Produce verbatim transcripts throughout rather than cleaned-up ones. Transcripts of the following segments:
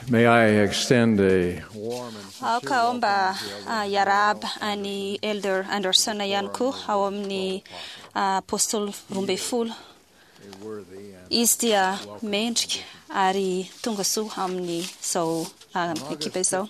May I extend a warm and Aoka aho mba ah, hiarahaba an'i Elder Anderson ihany koa ao amin'ny ah, Apôstôly roa ambin'ny folo. a worthy and Izy dia mendrika ary tonga soa amin'izao ah, ekipa izao.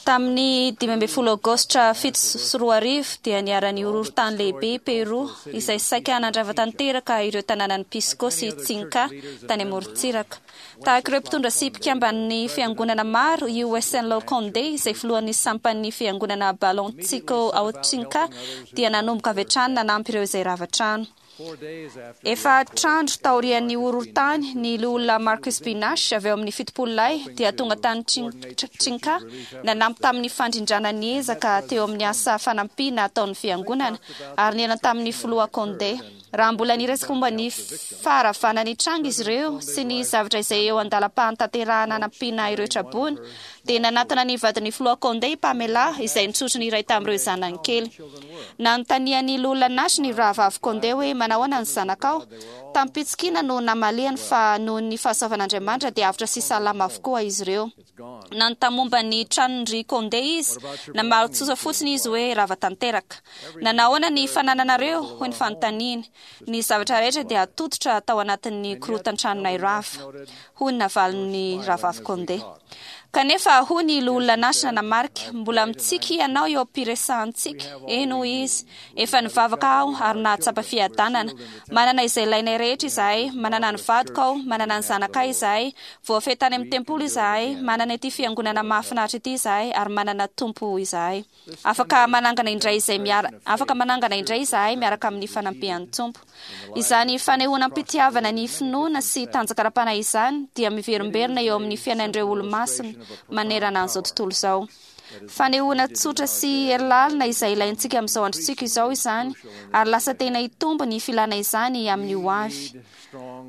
Tamin'ny dimy ambin'ny folo aogositra fito sy roa arivo dia niharan'ny horohorontany lehibe i Peru izay saika nandrava tanteraka ireo tanànan'i Pisco sy Tsinka tany amorontsiraka. Tahaka ireo mpitondra sy mpikamban'ny fiangonana maro, i Wenceslao Conde izay filohan'ny sampan'ny fiangonana Balonchico ao Tsinka dia nanomboka avy hatrany nanampy ireo izay rava trano. four days after Efatra andro taorian'ny horohorontany, ny loholona Marcus B. Nash avy eo amin'ny fitopolo lahy dia tonga tany Tsin- Tsinka nanampy tamin'ny fandrindrana ny ezaka teo amin'ny asa fanampiana ataon'ny fiangonana ary nihaona tamin'ny filoha Conde. Raha mbola niresaka momba ny faharavana ny tranga izy ireo sy ny zavatra izay eo an-dalam-pahatanterahana hanampiana ireo traboina, dia nanatona ny vadin'ny filoha Conde i Pamela izay nitsotro ny iray tamin'ireo zanany kely. Nanontanian'ny loholona Nash ny rahavavy Conde hoe manahoana ny zanakao. Tamim-pitsikiana no namaliany fa noho ny fahasoavan'Andriamanitra dia avotra sy salama avokoa izy ireo. Nanontany momba ny tranon'ny Conde izy, namaly tsotra fotsiny izy hoe rava tanteraka. Nanahoana ny fanananareo, hoy ny fanontaniany. Ny zavatra rehetra dia tototra tao anatin'ny korotan-tranonay rava, hoy ny navalin'ny rahavavy Conde. Kanefa hoy ny loholona Nash nanamarika, mbola mitsiky ianao eo am-piresahantsika. Eny hoy izy, efa nivavaka aho ary nahatsapa fiadanana. Manana izay ilainay rehetra izahay, manana ny vadiko aho, manana ny zanakay izahay, voafehy tany amin'ny tempoly izahay, manana ity fiangonana mahafinaritra ity izahay ary manana tompo izahay. Afaka manangana indray izay miara afaka manangana indray izahay miaraka amin'ny fanampian'ny Tompo. Izany fanehoana am-pitiavana ny finoana sy tanjaka ara-panahy izany dia miverimberina eo amin'ny fiainan'ireo olo-masina manerana an'izao tontolo izao. Fanehoana tsotra sy hery lalina izay ilaintsika amin'izao androntsika izao izany ary lasa tena hitombo ny filana izany amin'ny ho avy.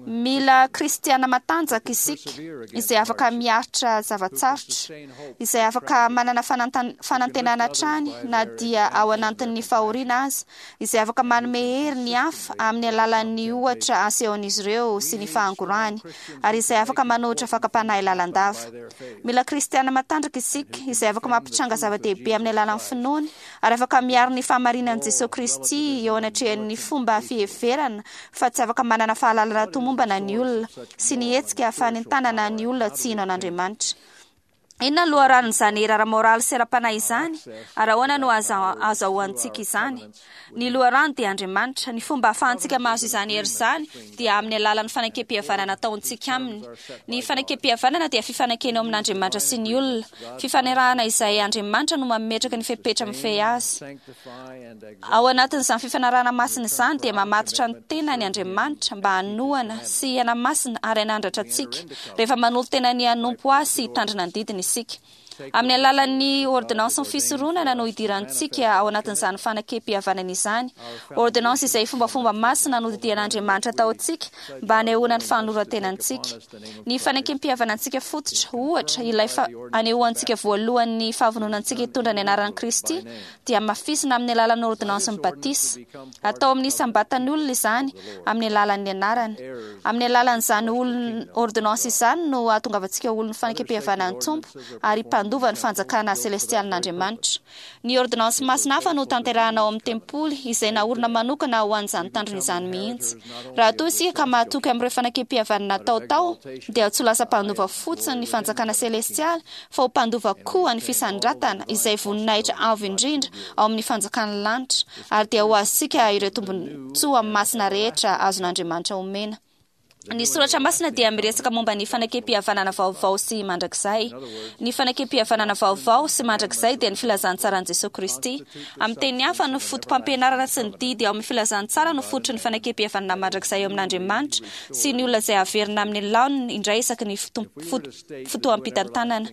Mila kristiana matanjaka isika izay afaka miaritra zava-tsarotra, izay afaka manana fanantan- fanantenana hatrany na dia ao anatin'ny fahoriana aza, izay afaka manome hery ny hafa amin'ny alalan'ny ohatra asehon'izy ireo sy ny fahangorahany, ary izay afaka manohitra fakam-panahy lalandava. Mila kristiana matanjaka isika izay afaka mampitranga zava-dehibe amin'ny alalan'ny finoany ary afaka miaro ny fahamarinan'i Jesosy Kristy eo anatrehan'ny fomba fiheverana fa tsy afaka manana fahalalana tomombana ny olona sy ny hetsika fanentanana ny olona tsy hino an'Andriamanitra. Inona no loharanon'izany hery ara-moraly sy ara-panahy izany? Ary ahoana no aza- azahoantsika izany? Ny loharano dia Andriamanitra. Ny fomba ahafahantsika mahazo izany hery izany dia amin'ny alalan'ny fanekem-pihavanana ataontsika aminy. Ny fanekem-pihavanana dia fifanekena eo amin'Andriamanitra sy ny olona. Fifanarahana izay Andriamanitra no mametraka ny fepetra mifehy azy. sanctify and Ao anatin'izany fifanarahana masina izany dia mamatotra ny tenany Andriamanitra mba hanohana sy hanamasina ary hanandratra antsika rehefa manolo-tena ny hanompo azy sy hitandrina ny didiny isika. Amin'ny alalan'ny ordonnance ny fisoronana no idirantsika ao anatin'izany fanekem-pihavanana izany. Ordonnance izay fombafomba masina nodidian'Andriamanitra ataontsika mba hanehoana ny fanoloran-tenantsika. Ny fanekem-pihavanantsika fototra, ohatra, ilay fa anehoantsika voalohany ny fahavononantsika hitondra ny anaran'i Kristy dia hamafisina amin'ny alalan'ny ordonnance ny batisa. Atao amin'ny isam-batan'olona izany amin'ny alalan'ny anarany. Amin'ny alalan'izany olon ordonnance izany no ahatongavantsika olon'ny fanekem-pihavanan'ny Tompo ary mpandova ny fanjakana selestialin'Andriamanitra. Ny ordonnance masina hafa no tanterahana ao amin'ny tempoly izay naorina manokana ho an'izany tanjona izany mihitsy. Raha toa isika ka mahatoky amin'ireo fanekem-pihavanana natao tao, dia tsy ho lasa mpandova fotsiny ny fanjakana selestialy fa ho mpandova koa ny fisandratana izay voninahitra avo indrindra ao amin'ny fanjakan'ny lanitra ary dia ho azontsika ireo tombontsoa masina rehetra azon'Andriamanitra omena. Ny soratra masina dia miresaka momba ny fanekem-pihavanana vaovao sy mandrakizay. Ny fanekem-pihavanana vaovao sy mandrakizay dia ny filazantsaran'i Jesosy Kristy. Amin'ny teny hafa, ny foto-pampianarana sy ny didy ao amin'ny filazantsara no fototry ny fanekem-pihavanana mandrakizay eo amin'Andriamanitra sy ny olona izay averina amin'ny laoniny indray isaky ny foto- foto- fotoam-pitantanana.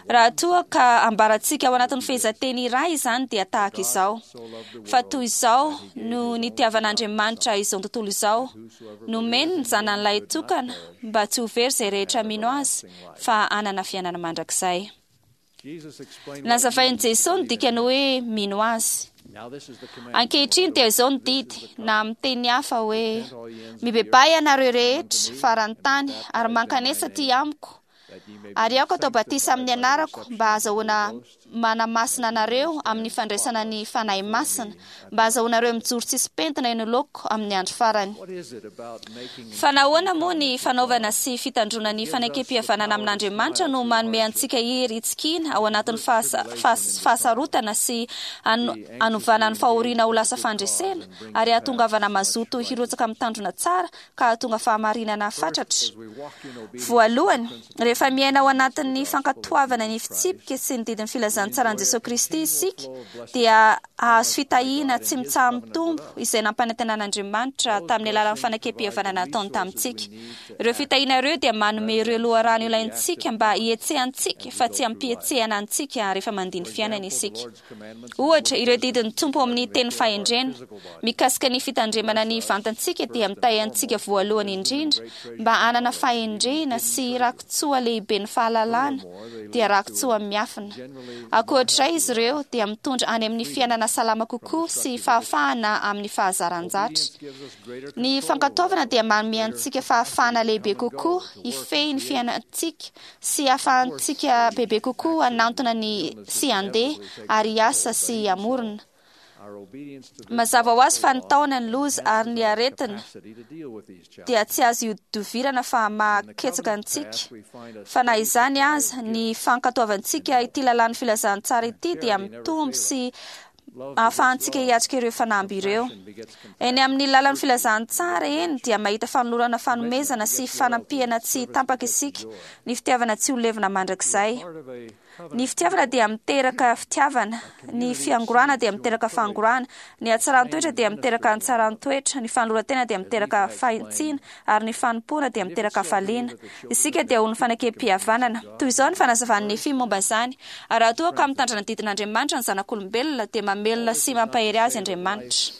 Raha toa ka ambarantsika ao anatin'ny fehezanteny iray izany dia tahaka izao. Fa toy izao no nitiavan'Andriamanitra izao tontolo izao, nomeny ny zanany lahy tokana mba tsy ho very izay rehetra mino azy fa hanana fiainana mandrakizay. Jesus explained Nazavain'i Jesosy ny dikany hoe mino azy. Now this is the command. Ankehitriny dia izao ny didy na amin'ny teny hafa hoe mibebaha ianareo rehetra faran'ny tany ary mankanesa aty amiko Ary aoka atao batisa amin'ny anarako mba hahazoana manamasina anareo amin'ny fandraisana ny Fanahy Masina, mba hahazoanareo mijoro tsisy pentina eny anoloako amin'ny andro farany. Fa nahoana moa ny fanaovana sy fitandroana ny fanekem-pihavanana amin'Andriamanitra no manome antsika hery hitsikiana ao anatin'ny fahasarotana sy hanovana ny fahoriana ho lasa fandresena ary hahatongavana mazoto hirotsaka amin'ny tanjona tsara ka hahatonga fahamarinana fatratra? Voalohany, rehefa miaina ao anatin'ny fankatoavana ny fitsipika sy ny didin'ny filazantsaran'i Jesosy Kristy isika, dia hahazo fitahiana tsy mitsaha-mitombo izay nampanantenan'Andriamanitra tamin'ny alalan'ny fanekem-pihavanana nataony tamintsika. Ireo fitahiana ireo dia manome ireo loharano ilaintsika mba hihetsehantsika fa tsy hampihetsehana antsika rehefa mandia ny fiainana isika. Ohatra, ireo didin'ny Tompo amin'ny teny fahendrena mikasika ny fitandremana ny vantantsika dia mitahy antsika voalohany indrindra mba hanana fahendrena sy rakitsoa lehibe ny fahalalana, dia rakitsoa miafina. Ankoatr'izay izy ireo dia mitondra any amin'ny fiainana salama kokoa sy fahafahana amin'ny fahazaran-jatra. Ny fankatoavana dia manome antsika fahafahana lehibe kokoa hifehy ny fiainantsika sy ahafahantsika bebe kokoa hanantona ny sy handeha ary hiasa sy hamorona. Mazava ho azy fa ny taona, ny loza ary ny aretina dia tsy azo ihodivirana fa mahaketsaka antsika. Fa na izany aza, ny fankatoavantsika ity lalàn'ny filazantsara ity dia mitombo sy ahafahantsika hiatrika ireo fanamby ireo. Eny amin'ny lalan'ny filazantsara eny dia mahita fanolorana fanomezana sy fanampiana tsy tapaka isika, ny fitiavana tsy ho levona mandrakizay. Ny fitiavana dia miteraka fitiavana, ny fiangorana dia miteraka fangorana, ny hatsaran-toetra dia miteraka hatsaran-toetra, ny fanoloran-tena dia miteraka fahintsiana, ary ny fanompoana dia miteraka hafaliana. Isika dia ho ny fanekem-pihavanana. Toy izao ny fanazavan'ny Nefy momba izany: ary raha toa ka mitandrina ny didin'Andriamanitra ny zanak'olombelona, dia mamelona sy mampahery azy Andriamanitra.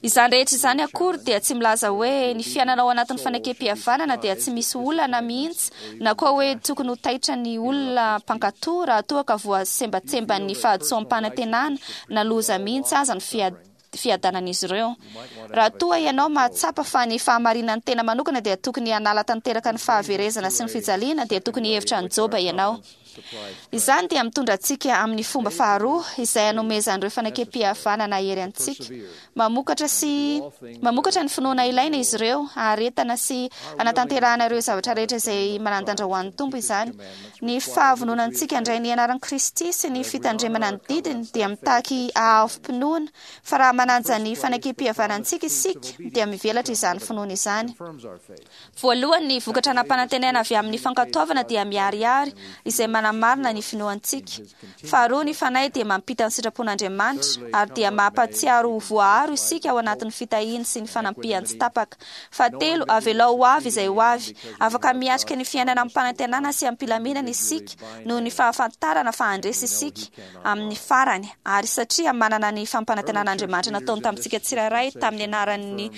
Izany rehetra izany akory dia tsy milaza hoe ny fiainana ao anatin'ny fanekem-pihavanana dia tsy misy olana mihitsy, na koa hoe tokony ho taitra ny olona mpankato raha toa ka voasembatsemban'ny fahadisoam-panantenana na loza mihitsy aza ny fiadanan'izy ireo. Raha toa ianao mahatsapa fa ny fahamarinan'ny tena manokana dia tokony hanala tanteraka ny fahaverezana sy ny fijaliana, dia tokony hihevitra an'i Joba ianao. Izany dia mitondra antsika amin'ny fomba faharoa izay hanomezan'ireo fanekem-pihavanana hery antsika. Mamokatra sy mamokatra ny finoana ilaina izy ireo, haharetana sy hanatanterahana ireo zavatra rehetra izay manan-danja ho an'ny Tompo izany. Ny fahavononantsika handray ny anaran'i Kristy sy ny fitandremana ny didiny dia mitaky hahavom-pinoana, fa raha manaja ny fanekem-pihavanantsika isika dia mivelatra izany finoana izany. Voalohany, ny vokatra nampanantenaina avy amin'ny fankatoavana dia miharihary, izay manamarina ny finoantsika. Faharoa, ny Fanahy dia mampita ny sitrapon'Andriamanitra, ary dia mampahatsiaro ho voaaro isika ao anatin'ny fitahiany sy ny fanampiany tsy tapaka. Fahatelo, avelao ho avy izay ho avy. Afaka miatrika ny fiainana amim-panantenana sy amim-pilaminana isika noho ny fahafantarana fa handresy isika amin'ny farany, ary satria manana ny fampanantenan'Andriamanitra nataony tamintsika tsirairay tamin'ny anaran'ny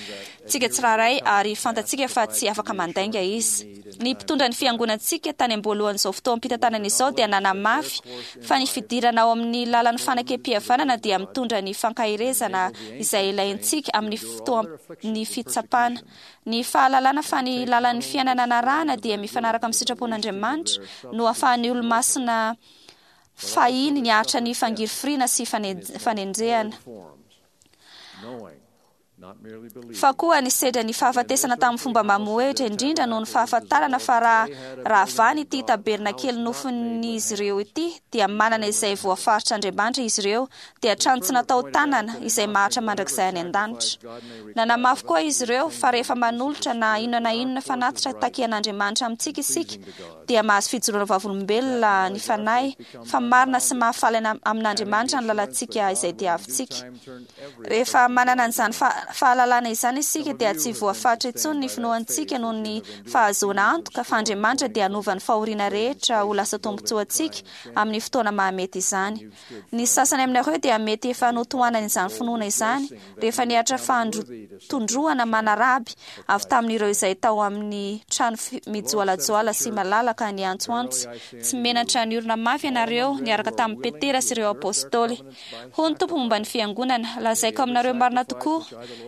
tsika tsirairay, ary fantatsika fa tsy afaka mandainga izy. Ny mpitondra ny fiangonantsika tany am-boalohan'izao fotoam-pitantanana izao dia nanamafy fa ny fidirana ao amin'ny lalan'ny fanekem-pihavanana dia mitondra ny fankaherezana izay ilaintsika amin'ny fotoan'ny fitsapana. Ny fahalalana fa ny lalan'ny fiainana narahana dia mifanaraka amin'ny sitrapon'Andriamanitra no ahafahan'ny olomasina fahiny niaritra ny fangirifiriana sy fanenjehana, fa koa nisedra ny fahafatesana tamin'ny fomba mamohehitra indrindra noho ny fahafantarana fa raha rahavany ity tabernakely nofon'izy ireo ity dia manana izay voafaritr'Andriamanitra izy ireo, dia trano tsy natao tanana izay maharitra mandrakizay any an-danitra. Nanamafy koa izy ireo fa rehefa manolotra na inona na inona fanatitra takian'Andriamanitra amintsika isika, dia mahazo fijoroana vavolombelona ny Fanahy fa marina sy mahafaly amin'Andriamanitra ny lalantsika izay diavintsika. Rehefa manana an'izany fahalalana izany isika dia tsy voafaritra intsony ny finoantsika noho ny fahazoana antoka fa Andriamanitra dia hanova ny fahoriana rehetra ho lasa tombontsoantsika amin'ny fotoana mahamety izany. Ny sasany aminareo dia mety efa notohanan'izany finoana izany rehefa nihatra fandrotondroana manaraby avy tamin'ireo izay tao amin'ny trano mijoalajoala sy malalaka niantsoantso tsy menatra niorina mafy ianareo niaraka tamin'i Petera sy ireo apostoly. Hoy ny Tompo momba ny fiangonana: lazaiko aminareo marina tokoa,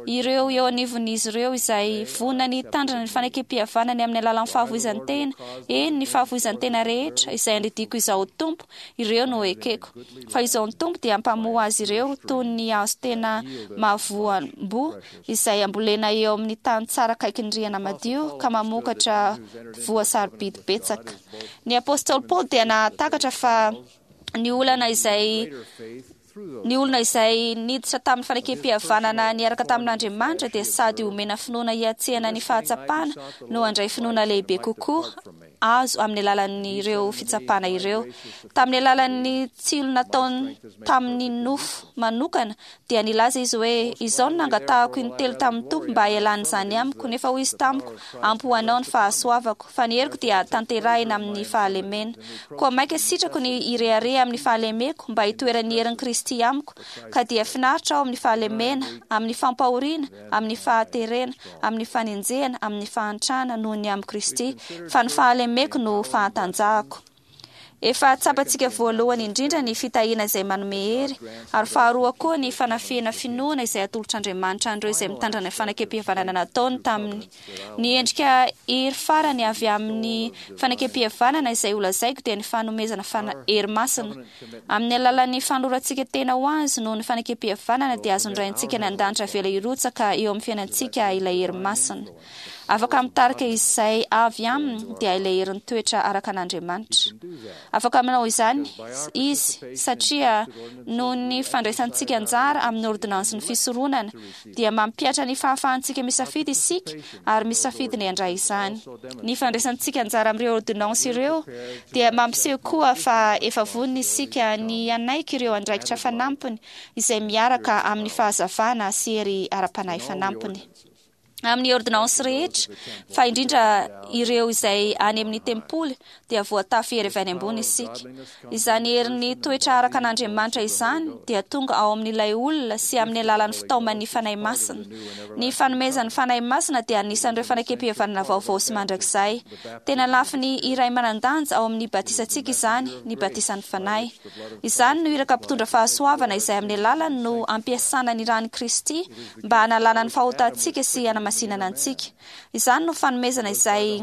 Ireo eo anivon'izy ireo izay vonona ny hitandrina ny fanekempihavanany amin'ny alalan'ny fahafoizan-tena, eny, ny fahafoizan-tena rehetra izay andidiako izaho Tompo, ireo no ekeko. Fa izaho ny Tompo dia hampamoa azy ireo toy ny hazo tena mahavoam-boa izay ambolena eo amin'ny tany tsara akaikin'ny rihana madio ka mamokatra voa sarobidy betsaka. Ny apôstôly Paoly dia nahatakatra fa ny olana izay ny olona izay niditra tamin'ny fanekempihavanana niaraka tamin'Andriamanitra dia sady omena finoana hiatrehana ny fahatsapana no handray finoana lehibe kokoa azo amin'ny alalan'ireo fitsapana ireo. Tamin'ny alalan'ny tsilo nataony tamin'ny nofo manokana dia nilaza izy hoe: "Izao no nangatahako intelo tamin'ny Tompo mba hialan'izany amiko, nefa hoy izy tamiko: ampy ho anao ny fahasoavako, fa ny heriko dia tanterahina amin'ny fahalemena. Koa maika sitrako ny hirehareha amin'ny fahalemeko mba hitoeran'ny herin'i Kristy amiko, ka dia finaritra aho amin'ny fahalemena, amin'ny fampahoriana, amin'ny fahaterena, amin'ny fanenjehana, amin'ny fahantrana noho ny amin'i Kristy, fa ny fahalemeko no fahatanjahako." Efa tsapantsika voalohany indrindra ny fitahiana izay manome hery, ary faharoa koa ny fanafihana finoana izay atolotr'Andriamanitra an'ireo izay mitandrina ny fanekempihavanana nataony taminy. Ny endrika hery farany avy amin'ny fanekempihavanana izay holazaiko dia ny fanomezana fana- hery masina. Amin'ny alalan'ny fanolorantsika tena ho azy noho ny fanekempihavanana dia azon'ny Raintsika any an-danitra avela hirotsaka eo amin'ny fiainantsika ilay hery masina. Afaka mitarika izay avy aminy dia ilay herin'ny toetra araka an'Andriamanitra. Afaka manao izany izy satria noho ny fandraisantsika anjara amin'ny ordonansin'ny fisoronana dia mampihatra ny fahafahantsika misafidy isika ary misafidy ny handray izany. Ny fandraisantsika anjara amin'ireo ordonansa ireo dia mampiseho koa fa efa vonona isika ny hanaiky ireo andraikitra fanampiny izay miaraka amin'ny fahazavana sy hery ara-panahy fanampiny. Amin'ny ordonansa rehetra, fa indrindra ireo izay any amin'ny tempoly, dia voatafy hery avy any ambony isika. Izany herin'ny toetra araka an'Andriamanitra izany dia tonga ao amin'ilay olona sy amin'ny alalan'ny fitaoman'ny Fanahy Masina. Ny fanomezan'ny Fanahy Masina dia anisan'ireo fanekempihavanana vaovao sy mandrakizay. Tena lafiny iray manan-danja ao amin'ny batisantsika izany, ny batisan'ny Fanahy. Izany no iraka mpitondra fahasoavana izay amin'ny alalany no ampiasana ny ran'i Kristy mba hanalana ny fahotantsika sy hanamasinana antsika. Izany no fanomezana izay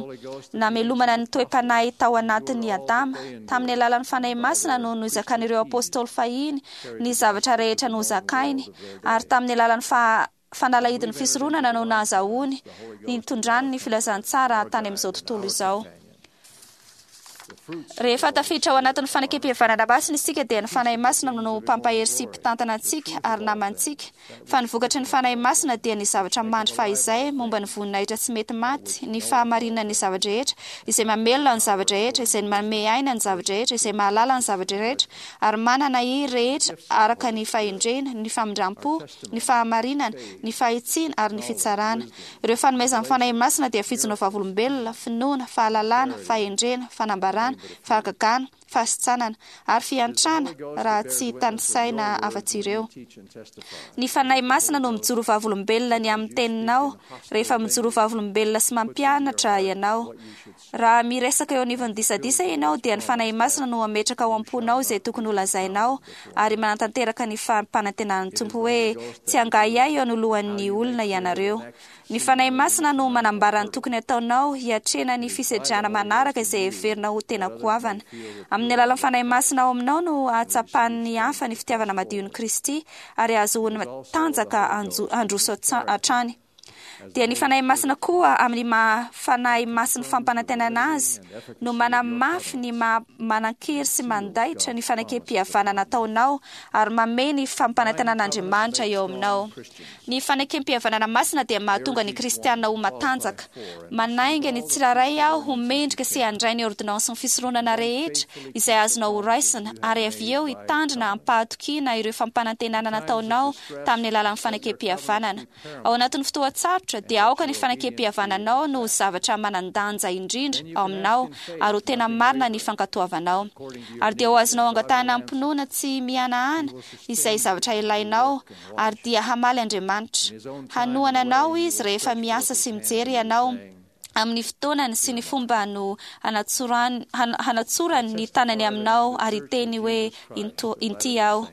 namelomana ny toe-panahy tao anatin'ny Adama. Tamin'ny alalan'ny Fanahy Masina no nozakan'ireo apôstôly fahiny ny zavatra rehetra nozakainy, ary tamin'ny alalan'ny fa fanalahidin'ny fisoronana no nahazahoany nitondrany ny filazantsara tany amin'izao tontolo izao. Rehefa tafiditra ao anatin'ny fanekempihavanana masina isika dia ny Fanahy Masina no mpampahery sy mpitantana antsika ary namantsika. Fa ny vokatry ny Fanahy Masina dia ny zavatra mandry fahizay momba ny voninahitra tsy mety maty, ny fahamarinan'ny zava-drehetra, izay mamelona ny zava-drehetra, izay manome aina ny zava-drehetra, izay mahalala ny zava-drehetra, ary manana hery rehetra araka ny fahendrena, ny famindram-po, ny fahamarinana, ny fahitsiana ary ny fitsarana. Ireo fanomezan'ny Fanahy Masina dia fijoroana vavolombelona, finoana, fahalalana, fahendrena, fanambarana, fahagagana, fahasitranana ary fiantrana raha tsy tanisaina afa-tsy ireo. Ny Fanahy Masina no mijoro vavolombelona ny amin'ny teninao rehefa mijoro vavolombelona sy mampianatra ianao. Raha miresaka eo anivon'ny disadisa ianao dia ny Fanahy Masina no hametraka ao am-ponao izay tokony holazainao ary manatanteraka ny fampanantenan'ny Tompo hoe tsy hangahiahy eo anoloan'ny olona ianareo. Ny Fanahy Masina no manambara ny tokony ataonao hiatrehana ny fisedrana manaraka izay heverina ho tena goavana. Amin'ny alalan'ny Fanahy Masina ao aminao no ahatsapan'ny hafa ny fitiavana madion'i Kristy ary ahazoany tanjaka handroso hatrany. Dia ny Fanahy Masina koa amin'ny maha Fanahy Masin'ny fampanantenana azy no manamafy ny maha manan-kery sy mandaitra ny fanekempihavanana ataonao ary mamehy ny fampanantenan'Andriamanitra eo aminao. Ny fanekempihavanana masina dia mahatonga ny kristiana ho matanjaka. Manainga ny tsirairay aho ho mendrika sy handray ny ordonansin'ny fisoronana rehetra izay azonao horaisina ary avy eo hitandrina am-pahatokiana ireo fampanantenana nataonao tamin'ny alalan'ny fanekempihavanana. Ao anatin'ny fotoan-tsarotra dia aoka ny fanekempihavananao no ho zavatra manan-danja indrindra ao aminao ary ho tena marina ny fankatoavanao. Ary dia ho azonao angatahana am-pinoana tsy mihanahana izay zavatra ilainao ary dia hamaly Andriamanitra. Hanohana anao Izy rehefa miasa sy mijery ianao amin'ny fotoanany sy ny fomba no hanatsorany hanatsorany ny tanany aminao ary hiteny hoe inty aho.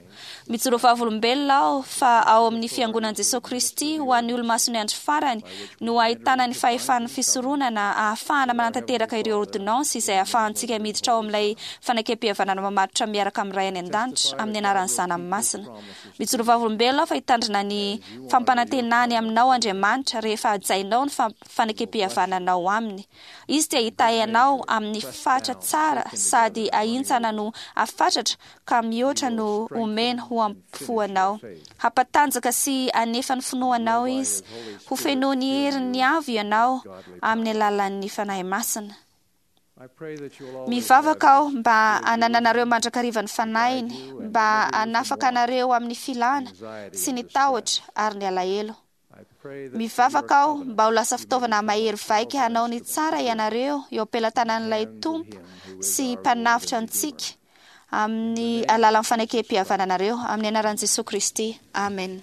Mijoro vavolombelona aho fa ao amin'ny Fiangonan'i Jesoa Kristy ho an'ny Olomasin'ny Andro Farany no ahitana ny fahefan'ny fisoronana ahafahana manatanteraka ireo ôrdônansy izay ahafahantsika miditra ao amin'ilay fanekempihavanana mamatotra miaraka amin'ny Ray any an-danitra amin'ny anaran'ny Zanany Masina. Mijoro vavolombelona aho fa hitandrina ny fampanantenany aminao Andriamanitra rehefa hajainao ny fanekempihavananao aminy. Izy dia hitahy anao amin'ny fatra tsara sady ahintsana no afatratra ka mihoatra no omeny ho ampofoanao. Hampatanjaka sy hanefa ny finoanao izy. Ho fenoiny herin'ny avo ianao amin'ny alalan'ny Fanahy Masina. Mivavaka aho mba hanananareo mandrakariva ny Fanahiny, mba hanafaka anareo amin'ny filana sy ny tahotra ary ny alahelo. Mivavaka aho mba ho lasa fitaovana mahery vaika hanao ny tsara ianareo eo am-pelatanan'ilay Tompo sy Mpanavotra antsika amin'ny alalan'ny fanekempihavananareo amin'ny anaran'i Jesoa Kristy. Amen.